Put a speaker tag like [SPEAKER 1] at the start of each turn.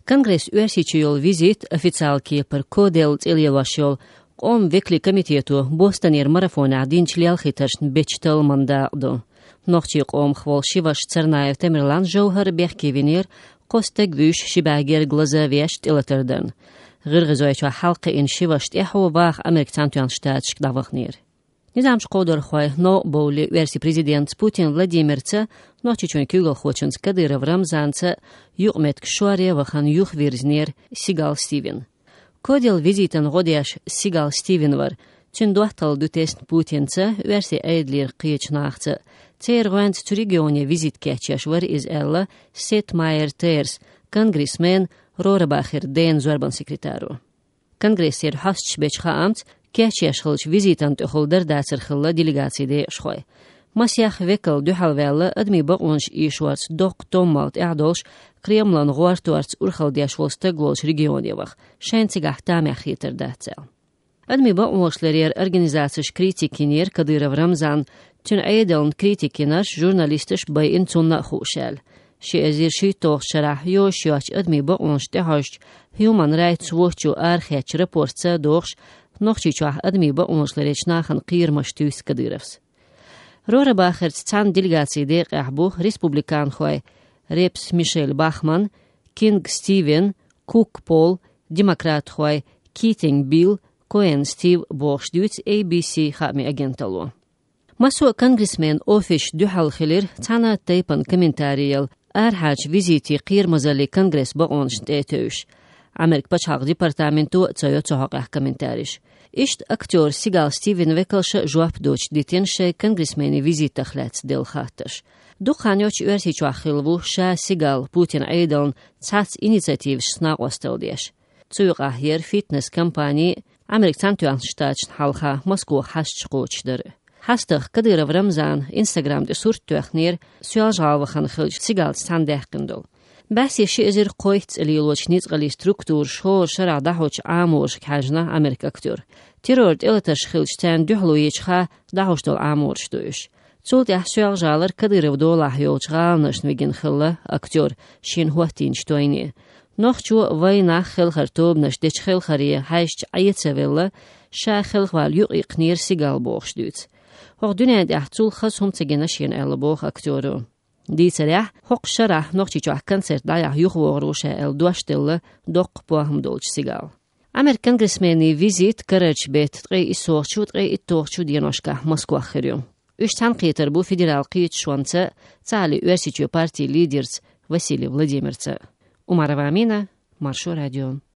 [SPEAKER 1] Конгресс уэрсичиол визит официалки пар кодел цилиелашиол قوم وکلی کمیتیتو بوستانیر марафон عدین چلیال خیترشن بیچتال منداقدو. نخچی قوم خوال شیواش ترنای تمرلان جوهر بیخکی وینیر قستگ ویش شباگیر گلزه ویشت ایلتردن. غیر غزوی چو حلق این شیواشت ایحو واخ امریکتان توان شتاتشک داوخ نیر. نظامش قدر خواه نو بولی ورسی پریزیدنت پوتین ولادیمیرتسه نخچی چون کیگل خوچنس کدیر ورمزانتسه یوغمت کشواری وخان یوخ ویرزنیر سیگال ستیون. Kodil viziten godiash Sigal Stevenvar, tyn dohtal dutest Putince, versi eidlir qiechnachtse. Zeerwend zu regione visitketchashwar is ella Setmaier Teers, congressman Rohrabacher den zorban secretaru. Congressier hastschbechcha amt, ketchashchilch visitant holder daserchilla delegatie schoi. Masjach wekkel duhalwelle admi baonsch ishwarts dok tommalt erdolsch Kremlin goartuarts urchaldiashwolste glolsch regioniewach, scheinzigach tamechiter datsel. Admi baonschlerer organisaties kritikinir Kadyrov Ramzan, tyn eideln kritikinars journalistisch bij inzunna hushel. She azir shi toch sharah yo shach admi baonsch tehasht Human Rights Watch archech reportse dochs nochchichach admi baonschlerech nachen qirmashtus Kadyrovs. Rohrabacher zan delegatie der Ahbuch Republikan Hoi, Reps Michelle Bachmann, King Steven, Cook Paul, Democrat Hoi, Keating Bill, Cohen Steve Bochstuits ABC Hami Agentalo. Maso Congressman Ofish Duhalchilir, Tana Teipan Kommentariel, Arhach Visiti Qirmazali Congress Baonst Etush. Amerik Pachaq Departamentu Tsoyotsohaq Kommentarisch. Ist Akteur Sigal Steven Wekelsche Joab Deutsch Ditensche Congressmeni Visita Chlets del Khattash. Duchanjoch Ursichwachilvu Sha Sigal Putin Eideln Tsats Initiativ Snaqosteldish. Zurach hier Fitness Kampagne Amerikantuan Staatschen Halcha Moskau Haschqochder. Hastach Kadyrov Ramzan Instagram de Surtuachnir Sualjalvachan Khilch Sigal Sandekendol. بس يشيزر قويت اللي يلوشنيت غلي ستركتور شهور شرع دهوش عامورش كحجنا أمريكا كتور. تيرورد إلتش خلشتان دهلو يجخا دهوش دول عامورش دوش. تولت يحسوال جالر كدير ودولا يوش غالنش نويجن خلا أكتور شين هوتين شتويني. نوخشو وينا خل خرطوب نشدش خل خريه هايشت عيت سويلا شا خل خوال يقيق نير سيقال بوخش دوت. وغدونا دي احتول خصهم تجنشين ألبوخ أكتورو. Die Zerach hoch sharach noch chichach concert da yuchworusha el duashtelle dok pohm dolch sigal. Amer congressmeni visit karach bet tre isorchu tre itorchu dianoshka Moskva khiryo. Ushtan qiter bu federal qiyt shwansa tsali university party leaders Vasily Vladimirtsa. Umarova Amina, Marsho Radio.